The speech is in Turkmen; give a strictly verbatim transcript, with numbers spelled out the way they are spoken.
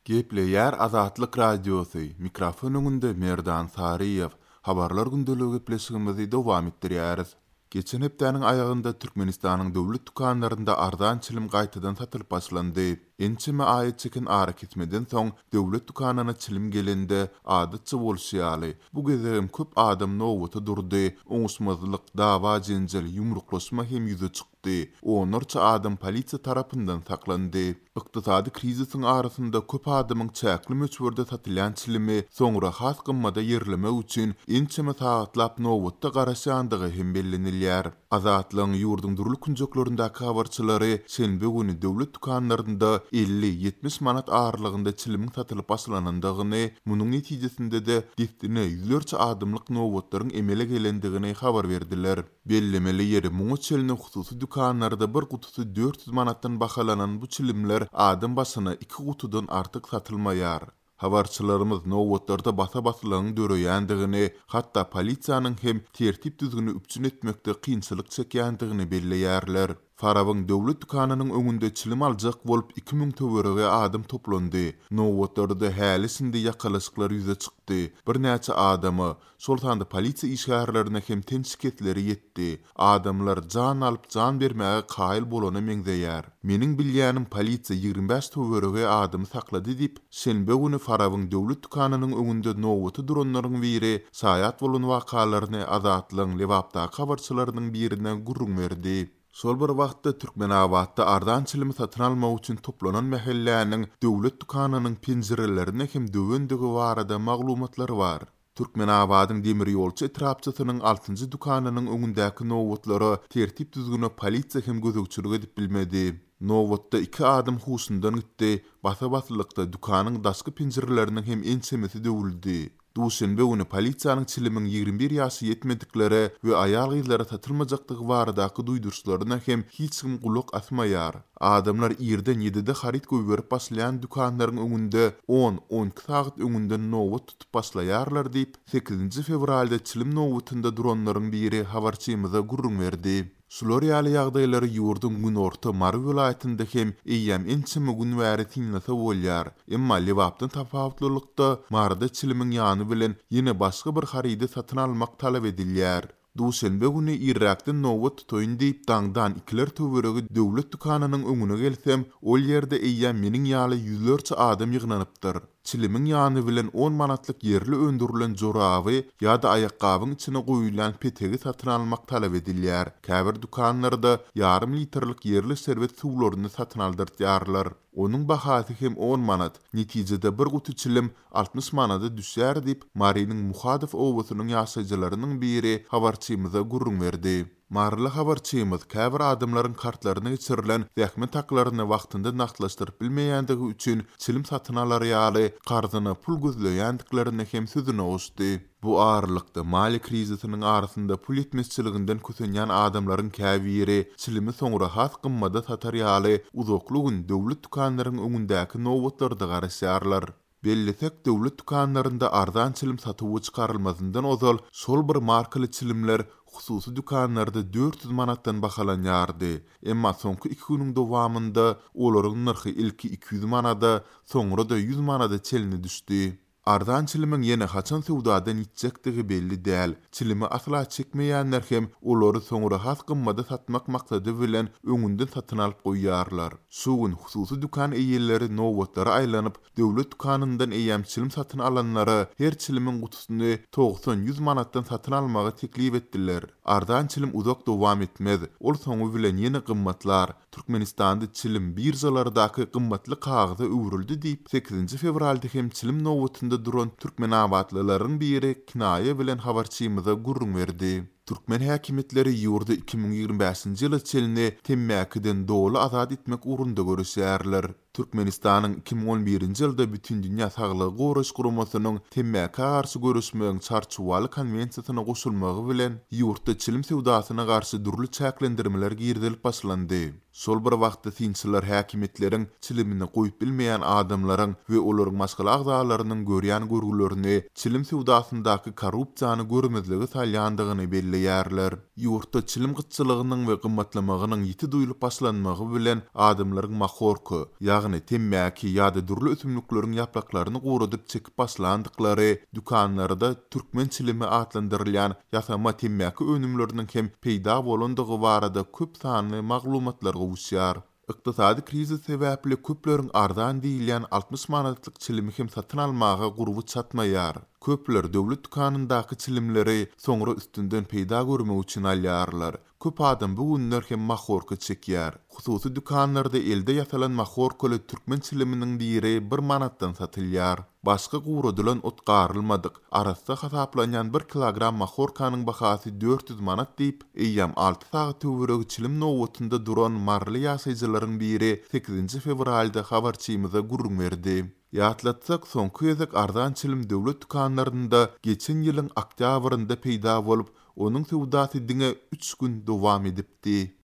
Gepleýär Azatlyk Radiosy, mikrofon öňünde Merdan Saryýew. Habarlar gündeligi gepleşigimizi dowam etdirýäris. Geçen hepdäniň aýagynda Türkmenistanyň döwlet dükanlarynda arzan çilim gaýtadan satylyp başlandy. Ençeme aýa çeken arakesmeden soň döwlet dükanyna çilim gelende, adatça bolşy ýaly, bu gezegem köp adam nobata durdy, oňuşmazlyk, dawa-jenjel, ýumruklaşma hem ýüze çykdy. Onlarça adam polisiýa tarapyndan saklandy. Ykdysady krizisiň arasynda köp adamyň çäkli möçberde satylýan çilimi soňra has gymmada ýerlemek üçin ençeme sagatlap nobatda garaşýandygy hem bellenilýär. Azatlygyň ýurduň dürli künjeklerindäki habarçylary şenbe güni döwlet dükanlarynda elli-ýetmiş manat aralygynda çilimiň satylyp başlanandygyny, munuň netijesinde-de dessine ýüzlerçe adamlyk nobatlaryň emele gelendigini habar berdiler. Bellemeli ýeri, muňa çenli hususy dükanlarda bir gutusy dört ýüz manatdan bahalanan bu çilimler adam başyna iki gutudan artyk satylmaýar. Habarçylarymyz nobatlarda basa-baslygyň döreýändigini, hatda polisiýanyň hem tertip-düzgüni üpjün etmekde kynçylyk çekýändigini belleýärler. Farabyň döwlet dükanynyň öňünde çilim aljak bolup iki müň töweregi adam toplandy. Nobatlarda häli-şindi ýakalaşyklar ýüze çykdy. Birnäçe adama, şol sanda polisiýa işgärlerine hem ten şikesleri ýetdi. Adamlar jan alyp jan bermäge kaýyl bolana meňzeýär. Meniň bilýänim polisiýa ýigrimi bäş töweregi adamy saklady diýip, şenbe güni Farabyň döwlet dükanynyň öňünde nobata duranlaryň biri şaýat bolan wakalaryny Azatlygyň Lebapdaky habarçylarynyň birine gürrüň berdi. Şol bir wagtda Türkmenabatda arzan çilimi satyn almak üçin toplanan mähelläniň döwlet dükanynyň penjirelerine hem döwendigi barada maglumatlar bar. Türkmenabadyň demir ýolçy etrapçasynyň altynjy dükanynyň öňündäki nobatlara tertip-düzgüne polisiýa hem gözegçilik edip bilmedi. Nobatda iki adam huşundan gitdi, basa-baslykda dükanyň daşky penjireleriniň hem ençemesi döwüldi. Duşenbe güni polisiýanyň çilimiň ýigrimi bir ýaşy ýetmediklere we aýal-gyzlara satylmajakdygy baradaky duýduryşlaryna hem hiç kim gulak asmaýar. Adamlar irden ýedide haryt goýberip başlaýan dükanlaryň öňünde on-on iki sagat öňünden nobat tutup başlaýarlar diýip, sekizinji fewralda çilim nobatynda duranlaryň biri habarçymyza gürrüň berdi. Şular ýaly ýagdaýlary ýurduň günorta Mary welaýatynda hem eýýäm ençeme gün bäri synlasa bolýar. Emma Lebapdan tapawutlylykda Maryda çilimiň ýany bilen ýene başga bir harydy satyn almak talap edilýär. Duşenbe güni irräkden nobat tutaýyn diýip daňdan ikiler töweregi döwlet dükanynyň öňüne gelsem, ol ýerde eýýäm meniň ýaly ýüzlerçe adam ýygnanypdyr. Çilimiň ýany bilen on manatlyk ýerli öndürilen joraby ýa-da aýakgabyň içine goýulýan petegi satyn almak talap edilýär. Käbir dükanlarda ýarym litrlik ýerli şerbet suwlaryny satyn aldyrtýarlar. Onuň bahasy hem on manat, netijede bir guty çilim altmyş manada düşýär diýip, Marynyň Muhadow obasynyň ýaşaýjylarynyň biri habarçymyza gürrüň berdi. Maryly habarçymyz käbir adamlaryň kartlaryna geçirilen zähmet haklaryny wagtynda nagtlaşdyryp bilmeýändigi üçin çilim satyn alar ýaly karzyna pul gözleýändiklerini hem sözüne goşdy. Bu aralykda maliýe krizisiniň arasynda pul ýetmezçiliginden kösenýän adamlaryň käbiri çilimi soňra has gymmada satar ýaly uzakly gün döwlet dükanlaryň öňündäki nobatlarda garaşýarlar. Bellesek, döwlet dükanlarynda arzan çilim satuwy çykarylmazyndan ozal şol bir markaly çilimler hususy dükanlarda dört ýüz manatdan bahalanýardy. Emma soňky iki günüň dowamynda olaryň nyrhy ilki iki ýüz manada, soňra-da ýüz manada çenli düşdi. Arzan çilimiň ýene haçan söwdadan ýitjekdigi belli däl. Çilimi asla çekmeýänler hem olary soňra has gymmada satmak maksady bilen öňünden satyn alyp goýýarlar. Şu gün hususy dükan eýeleri nobatlara aýlanyp, döwlet dükanyndan eýýäm çilim satyn alanlara her çilimiň gutusyny togsan-ýüz manatdan satyn almagy teklip etdiler. Arzan çilim uzak dowam etmez, ol soňy bilen ýene gymmatlar. Türkmenistanda çilim birjalardaky gymmatly kagyza öwrüldi diýip, sekizinji fewralda hem çilim nobatynda duran türkmenabatlylaryň biri kinaýa bilen habarçymyza gürrüň berdi. Türkmen häkimiýetleri ýurdy iki müň ýigrimi bäşinji ýyla çenli temmäkiden doly azat etmek ugrunda göreşýärler. Türkmenistanyň iki müň on birinji ýylda Bütindünýä Saglygy Goraýyş Guramasynyň temmäkä garşy göreşmegiň çarçuwaly konwensiýasyna goşulmagy bilen ýurtda çilim söwdasyna garşy dürli çäklendirmeler girizilip başlandy. Şol bir wagtda synçylar häkimiýetleriň çilimini goýup bilmeýän adamlaryň we olaryň maşgala agzalarynyň görýän görgülerini çilim söwdasyndaky korrupsiýany görmezlige salýandygyny belleýärler. Ýurtda çilim gytçylygynyň we gymmatlamagynyň ýiti duýulyp başlanmagy bilen adamlaryň mahorka, ýagny ýagny temmäki ýa-da dürli ösümlikleriň ýapraklaryny guradyp çekip başlandyklary, dükanlarda türkmen çilimi atlandyrylýan ýasama temmäki önümleriniň hem peýda bolandygy barada köp sanly maglumatlar gowuşýar. Ykdysady krizis sebäpli köpleriň arzan diýilýän altmyş manatlyk çilimi hem satyn almaga gurby çatmaýar. Köpler döwlet dükanyndaky çilimleri soňra üstünden peýda görmek üçin alýarlar. Köp adam bu günler hem mahorka çekýär. Hususy dükanlarda elde ýasalan mahorkaly türkmen çiliminiň biri bir manatdan satylýar. Başga guradylan ot garylmadyk, arassa hasaplanýan bir kilogram mahorkanyň bahasy dört ýüz manat diýip, eýýäm alty sagat töweregi çilim nobatynda duran maryly ýaşaýjylaryň biri sekizinji fewralda habarçymyza gürrüň berdi. Ýatlatsak, soňky gezek arzan çilim döwlet dükanlarynda geçen ýylyň oktýabrynda peýda bolup, onuň söwdasy diňe üç gün dowam edipdi.